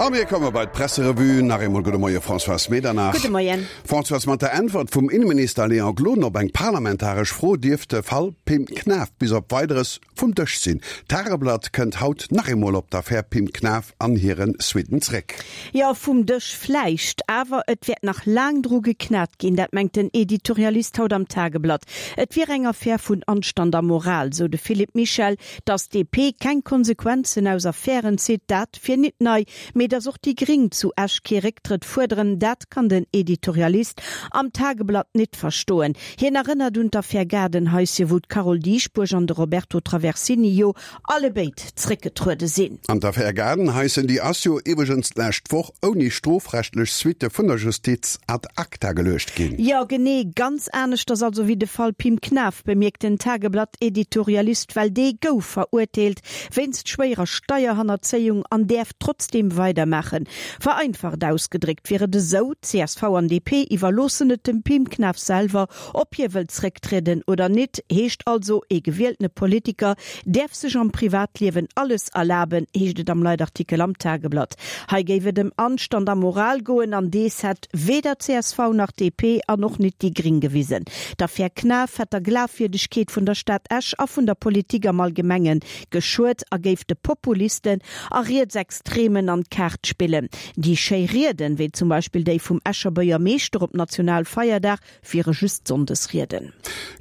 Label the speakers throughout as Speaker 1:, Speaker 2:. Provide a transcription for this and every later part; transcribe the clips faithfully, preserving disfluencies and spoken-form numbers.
Speaker 1: A mir komme bei d'Presserevue. Nach eemol gudde Moie Françoise Medernach.
Speaker 2: Gudde Moien.
Speaker 1: Françoise, mat der Äntwert vum Inneminister Léon Gloden op eng parlamentaresch Fro dierft de Fall Pim Knaff bis op Weideres vum Dësch sinn. D'Tageblatt kënnt haut nach eemol op d'Affär Pim Knaff an hire Suitten zréck.
Speaker 2: Jo, vum Dësch vläicht, awer et wäert nach laang dru geknat ginn, dat mengt den Editorialist haut am Tageblatt. Et wier eng Affär vun Anstand a Moral, sou de Philippe Michel. Datt d'DP keng Konsequenzen aus Affären zitt, dat wier nit nei, mee datt och déi Gring zu Esch kee Récktrëtt fuerderen, dat kann den Editorialist am Tageblatt nit verstoen. Hien erënnert un d'Affär Gaardenhaisschen, wou d'Carole Dieschbourg an de Roberto Traversini jo allebéid zréckgetruede sinn.
Speaker 1: An d'Affär Gaardenhaischen, déi ass jo iwwregens d'lescht Woch ouni strofrechtlech Suitte vun der Justiz ad acta geluecht ginn.
Speaker 2: Jo, genee, ganz aneschters also wéi de Fall Pim Knaff, bemierkt den Tageblatt-Editorialist, well dee gouf verurteelt wéinst schwéierer Steierhannerzéiung an däerf trotzdeem weidermaachen. Vereinfacht ausgedréckt wier et esou, csv an D P iwwerloossen et dem Pim Knaff selwer, ob hie wëllt zrécktrieden oder nit. Heescht also, ee gewieltene Politiker däerf sech am Privatliewen alles erlaben, heescht et am Leitartikel am Tageblatt. Hei géif et ëm Anstand a Moral goen an dees hätt weder csv nach D P an och nit déi Gring gewisen. D'Affär Knaff hätt der Glafwierdegkeet vun der Stad Esch a vun der Politik am Allgemenge geschuet a géif de Populisten a Rietsextremen an d'Kaart spillen. Déi schéi Rieden, wéi zum Beispill déi vum Escher Buergermeeschter op Nationalfeierdag, wiere just Sonndesrieden.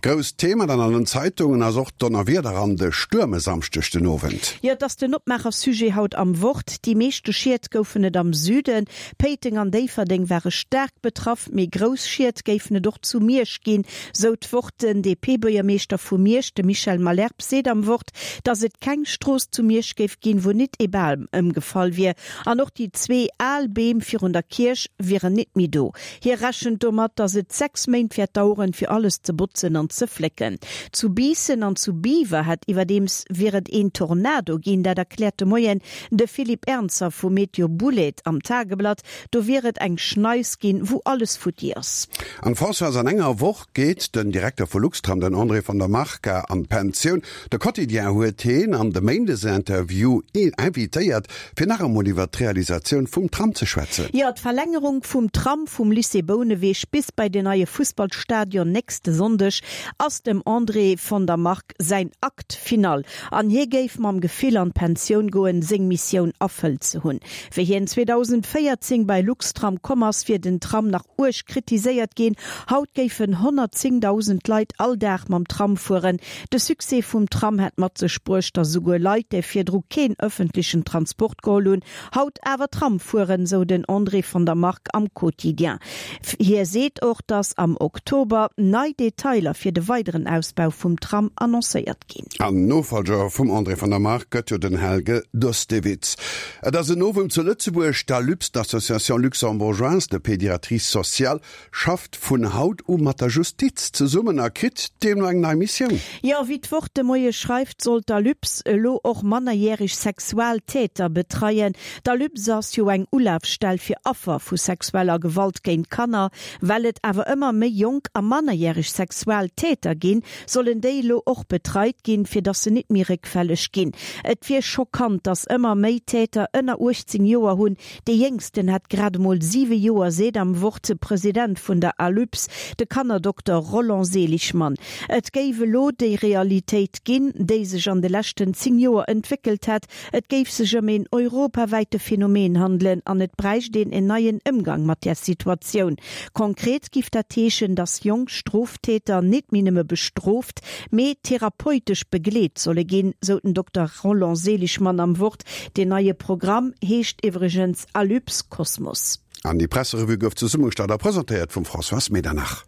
Speaker 1: Grousst Thema dann an den Zeitungen ass och d'Donnerwieder an de Stuerm e Samschdeg den Owend.
Speaker 2: Jo, et ass den Opmaacher-Sujet haut am Wort. Déi meeschte Schied goufen et am Süden. Péiteng an Déifferdeng ware staark betraff, mee grouss Schied géifen et och zu Miersch ginn, sou d'Wort. Den D P-Buergermeeschter vu Miersch, de Michel Malherbe, seet am Wort, datt et keng Strooss zu Miersch géif ginn, wou nit ee Bam ëmgefall wier. An och déi zwee al Beem virun der Kierch wieren nit méi do. Hie rechent domat, datt et sechs Méint wäert daueren, fir alles ze botzen an ze flécken. Zu Biissen an zu Biwer hätt iwwerdeems wier et een Tornado ginn, dat erkläert de Moien de Philippe Ernzer vu Meteo Boulaide am Tageblatt. Do wier et eng Schneis ginn, wou alles futti ass.
Speaker 1: An Françoise, an enger Woch geet den Direkter vu Luxtram, den André von der Marca, an d'Pensioun. De Quotidien huet hien an de Méindesinterview invitéiert, fir nach emol iwwer d'Realisatioun vum Tram ze schwätzen.
Speaker 2: Jo, d'Verlängerung vum Tram vum Lycée Bouneweg bis bei den neie Fussballstadion nächste Sonndeg ass dem André von der Marck säin Acte final. An hie géif mam Gefill an d'Pensioun goen, seng Missioun erfëllt ze hunn. Wéi hien zweedausendvéierzéng bei Luxtram komm ass, wier den Tram nach uerg kritiséiert ginn. Haut géifen honnertzéngdausend Leit all Dag mam Tram fueren. De Succès vum Tram hätt mat sech bruecht, datt esouguer Leit, déi virdru keen ëffentlechen Transport geholl hunn, haut awer Tram fueren, sou den André von der Marck am Quotidien. Hie seet och, datt am Oktober nei Detailer fir de weideren Ausbau vum Tram annoncéiert ginn.
Speaker 1: An Nofollger vum André von der Marck gëtt jo den Helge Dostewitz. Et ass en Novum zu Lëtzebuerg, D'ALUPS, d'Association luxembourgeoise de pédiatrie sociale, schafft vun haut u mat der Justiz zesummen a kritt deemno eng nei Missioun.
Speaker 2: Jo, wéi d'Wort de Moie schreift, soll d'ALUPS elo och mannerjäreg Sexualtäter betreien. D'ALUPS ass jo eng Ulafstell fir Affer vu sexueller Gewalt géint Kanner. Well et awer ëmmer méi jonk a mannerjäreg Sexualtäter ginn, sollen déi elo och betreit ginn, fir dass se net méi réckfälleg ginn. Et wier schockant, dass ëmmer méi Täter ënner uechtzéng Joer hunn. Dee jéngsten hätt grad emol siwe Joer, seet am Wort de President vun der ALUPS, de Kannerdokter Roland Seligmann. Et géif elo déi Realitéit ginn, déi sech an de leschten zéng Joer entwéckelt hätt. Et géif sech ëm een europawäite Phänomen handelen an et bräicht een en neien Ëmgang mat där Situatioun. Konkret giff dat heeschen, dass jonk Stroftäter net méi nëmme bestrooft, mee therapeutesch begleet solle ginn, sou den Dokter Roland Seligmann am Wort. Deen neie Programm heescht iwwregens ALUPS Cosmos.
Speaker 1: An déi Presserevue gouf zesummegestallt a presentéiert vum Françoise Medernach.